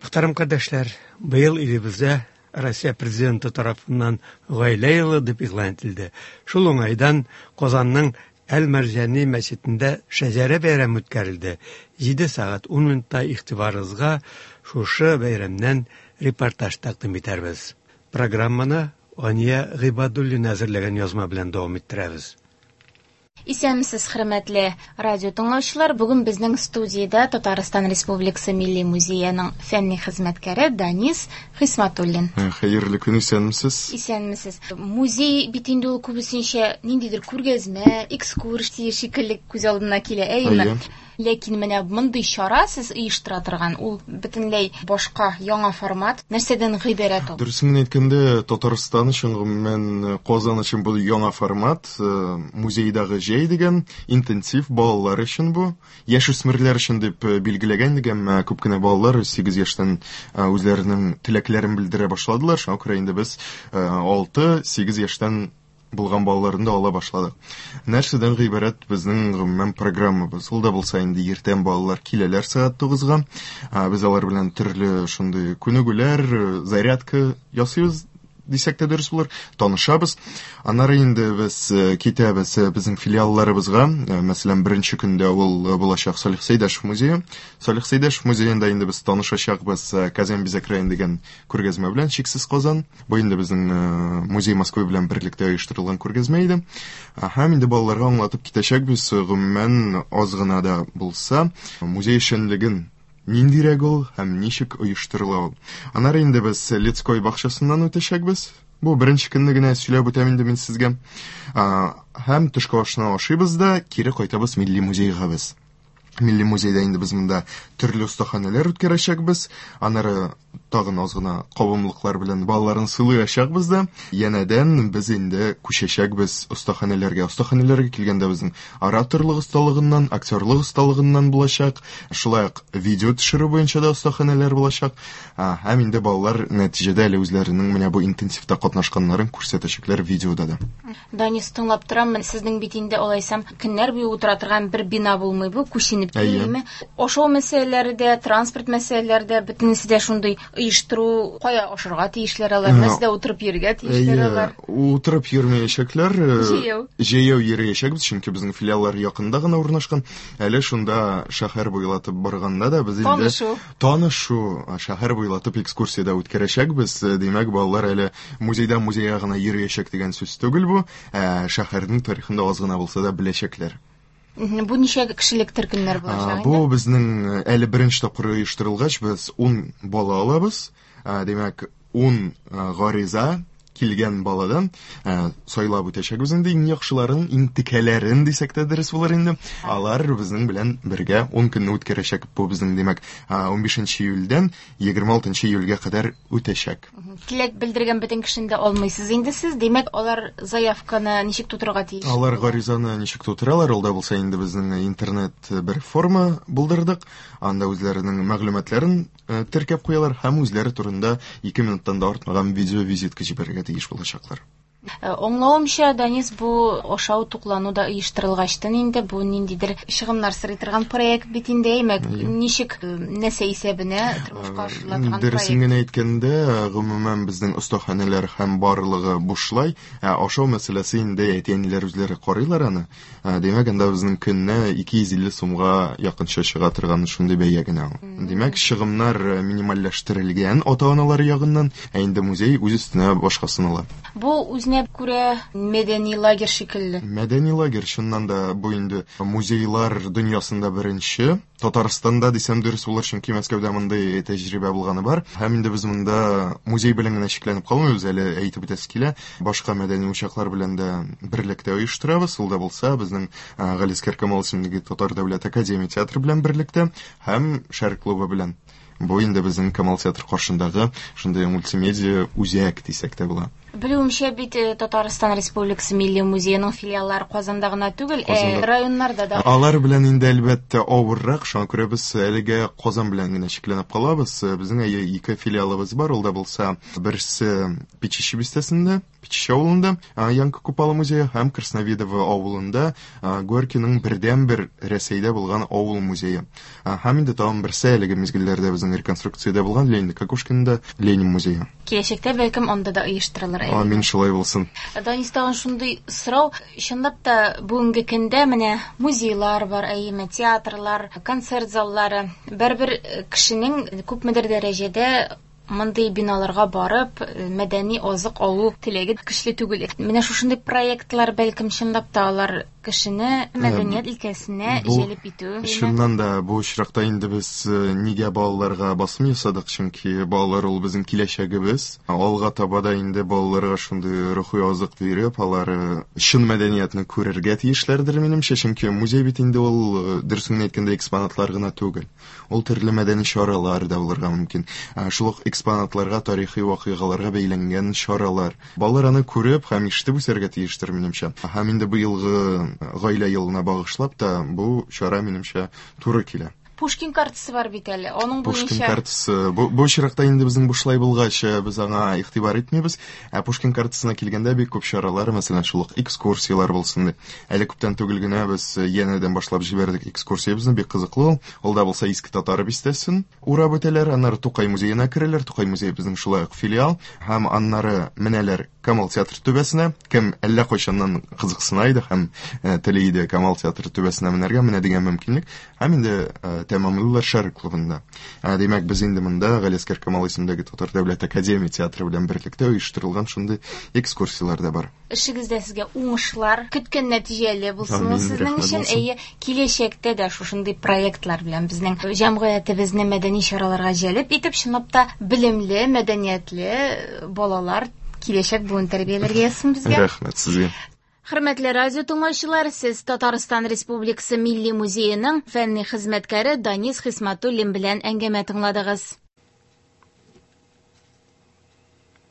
Мөхтәрәм кардәшләр, быел илебездә Россия Президенты тарафыннан Гаилә елы дип игълан ителде. Шул уңайдан Казанның Әл-Мәрҗани мәчетендә Шәҗәрә бәйрәме үткәрелде. 7 сәгать 10 минутта игътибарыгызга шушы бәйрәмнән репортаж тәкъдим итәрбез. Программаны Ания Гыйбадуллина әзерләгән язма белән дәвам иттерәбез. Исәнмесез, хөрмәтле радио тыңлаучылар. Бүген безнең студиядә Татарстан Республикасы Милли музееның фәнни хезмәткәре Данис Хисматуллин. Хәерле көн, исәнмесез. Исәнмесез. Музей бит инде ул күбесенчә ниндидер күргәзмә, экскурсия шикелле күз алдына килә, әйеме? Ләкин менә мондый чара сез оештыра торган, ул бөтенләй башка, яңа формат. Нәрсәдән гыйбарәт ул? Дөресен генә әйткәндә, Татарстан өчен, гомумән, Казан өчен бу яңа формат. Музейдагы җәй дигән интенсив балалар өчен бу. Яшүсмерләр өчен дип билгеләгән идек, әмма күп кенә балалар 8 яшьтән үзләренең теләкләрен белдерә башладылар. Шуңа күрә инде без 6-8 яшьтән булган балаларны да ала башладык. Нәрсәдән гыйбарәт безнең гомумән программабыз? Ул да булса инде иртән балалар киләләр сәгать 9-га. Без алар белән төрле шундый күнегүләр, зарядка ясыйбыз дисәк тә дөрес булыр. Танышабыз. Аннары инде без китәбез безнең филиалларыбызга. Мәсәлән, беренче көндә ул булачак Салих Сәйдәшев музее. Салих Сәйдәшев музеенда инде без танышачакбыз Казан бизәк район дигән күргәзмә белән Чиксез Казан. Бу инде безнең Музей Москвы белән берлектә оештырылган күргәзмә иде. Һәм инде балаларга аңлатып китәчәкбез, гомумән, аз гына да булса, музей эшчәнлеген ниндирәк ул һәм ничек оештырыла ул. Аннары инде без Лецкой бакчасыннан үтәчәкбез. Бу беренче көнне генә сөйләп үтәм инде мин сезгә. Һәм төшке ашны ашыйбыз да, кире кайтабыз Милли музейга без. Милли музейда инде без монда төрле остаханәләр үткәрәчәкбез. Аннары тагын аз гына кабымлыклар белән балаларны сыйлаячакбыз да. Янәдән без инде күчәчәкбез остаханәләргә. Остаханәләргә килгәндә безнең ораторлык осталыгыннан, актерлык осталыгыннан булачак. Шулай ук видео төшерү буенча да остаханәләр булачак. Һәм инде балалар нәтиҗәдә әле үзләренең менә бу интенсивта катнашканнарын күрсәтәчәкләр видеода да. Данис, тыңлап торам, сезнең бит инде алайсам көннәр буе утыра торган бер бина булмый бу, күченеп йөрими. Ашау мәсьәләләре дә, транспорт мәсьәләләре дә, бөтенесе дә шундый оештыру, кая ашарга тиешләр алар, нәрсәдә утырып йөрергә тиешләр алар. Утырып йөрмәячәкләр. Җәяү. Җәяү йөрәячәкбез, чөнки безнең филиаллар якында гына урнашкан. Әле шунда шәһәр буйлатып барганда да без инде танышу, танышу, шәһәр буйлатып экскурсия дә үткәрәчәкбез. Димәк, балалар әле музейдан музейга гына йөриячәк дигән сүз түгел бу, ә шәһәрнең тарихын да аз гына булса да беләчәкләр. Бу ничә кешелек төркемнәр булачак? Бу безнең әле беренче тапкыр оештырылгач, без 10 бала алабыз. Димәк, 10 гариза килгән баладан сайлап үтәчәкбез инде иң яхшыларын, иң текәләрен дисәк тә дөрес булыр инде. Алар безнең белән бергә 10 көнне үткәрәчәк. Бу безнең, димәк, 15 июльдән 26 июльгә кадәр үтәчәк. Теләк белдергән бөтен кешене дә алмыйсыз инде сез. Димәк, алар заявканы ничек тутырырга тиеш? Алар гаризаны ничек тутыралар? Ул да булса инде безнең интернет бер форма булдырдык. Анда үзләренең мәгълүматларын теркәп куялар һәм үзләре турында 2 минуттан да артмаган видеовизитка җибәрергә тиеш булачаклар. Аңлавымча, Данис, бу ашау туклану да оештырылгачтын инде, бу ниндидер чыгымнар сорый торган проект бит инде, әйме? Ничек, нәрсә исәбенә тормышка ашырыла торган проект? Дөресен генә әйткәндә, гомумән безнең остаханәләр һәм барлыгы бушлай, ә ашау мәсьәләсе инде әти-әниләр үзләре карыйлар аны. Димәк, анда безнең көненә 250 сумга якынча чыга торган шундый бәя генә ул. Димәк, чыгымнар минимальләштерелгән ата-аналар ягыннан, ә инде музей үз өстенә башкасын ала. Бу үзенә күрә мәдәни лагерь шикелле. Мәдәни лагерь, чыннан да, бу инде музейлар дөньясында беренче. Татарстанда дисәм дөрес булыр, чөнки Мәскәүдә мондый тәҗрибә булганы бар. Һәм инде без монда музей белән генә чикләнеп калмыйбыз, әле әйтеп үтәсе килә. Башка мәдәни учаклар белән дә берлектә оештырабыз. Ул да булса безнең Галиәсгар Камал исемендәге Татар дәүләт академия театры белән берлектә һәм Шәрык клубы белән. Бу инде безнең Камал театры каршындагы шундый мультимедиа үзәк дисәк тә була. Белүемчә бит, Татарстан Республикасы Милли музееның филиаллары Казанда гына түгел, ә районнарда да. Алар белән инде әлбәттә авыррак, шуңа күрә без әлегә Казан белән генә чикләнеп калабыз. Безнең әйе ике филиалыбыз бар, ул да булса берсе Печище бистәсендә, Печище авылында, Янка Купала музее һәм Красновидово авылында Горькийның бердәнбер Рәсәйдә булган авыл музее. Һәм инде тагын берсе әлеге мизгелләрдә безнең безнең реконструкциядә булган Леонид Кокушкинда Ленин музее. Киләчәктә бәлкем анда да оештырылыр. Амин, шулай булсын. Данис, тагын шундый сорау, чынлап та бүгенге көндә менә музейлар бар, әйеме, театрлар, концерт заллары. Бәрбер кешенең күпмедер дәрәҗәдә мондый биналарга барып, мәдәни азык алу теләге көчле түгел. Менә шушындый проектлар бәлкем чынлап та алар кешене мәдәният өлкәсенә җәлеп итү. Чыннан да бу очракта инде без нигә балаларга басым ясадык, чөнки балалар ул безнең киләчәгебез. Алга таба да инде балаларга шундый рухи азык биреп, алар чын мәдәниятне күрергә тиешләрдер минемчә, чөнки музей бит инде ул, дөресен генә әйткәндә, экспонатлар гына түгел. Ул төрле мәдәни чаралар да булырга мөмкин. Шул ук экспонатларга, тарихи вакыйгаларга бәйләнгән чаралар. Балалар аны күреп һәм ишетеп үсәргә тиештер, минемчә. Һәм инде быелгы гаилә елына багышлап та бу чара, минемчә, туры килә. Пушкин картасы бар бит әле. Аның Пушкин буенча картасы. Бу очракта инде безнең бушлай булгач, без аңа игътибар итмибез. Ә Пушкин картасына килгәндә бик күп чаралар, мәсәлән, шул ук экскурсияләр булсын дип. Әле күптән түгел генә без янәдән башлап җибәрдек экскурсиябезне, бик кызыклы ул. Ул да булса Иске Татар бистәсен урап үтәләр, аннары Тукай музеена керәләр. Тукай музее безнең шулай ук филиал. Һәм аннары менәләр Камал театры түбәсенә. Кем әллә кайчаннан кызыксына иде һәм тели иде Камал театры түбәсенә менәргә, менә дигән мөмкинлек. Һәм инде тәмамлыйлар Шәрык клубында. Димәк, без инде монда Галиәсгар Камал исемендәге Татар дәүләт академия театры белән берлектә оештырылган шундый экскурсияләр дә бар. Эшегездә сезгә уңышлар, көткән нәтиҗәле булсын Амин, сезнең рәхмәт өчен. булсын. Әйе, киләчәктә дә шушындый проектлар белән безнең җәмгыятебезне мәдәни чараларга җәлеп итеп, чынлап та белемле, мәдәниятле балалар киләчәк буын тәрбияләргә язсын безгә. Рәхмәт сезгә. Хөрмәтле радио тыңлаучылар, сез Татарстан Республикасы Милли музееның фәнни хезмәткәре Данис Хисматуллин белән әңгәмә тыңладыгыз.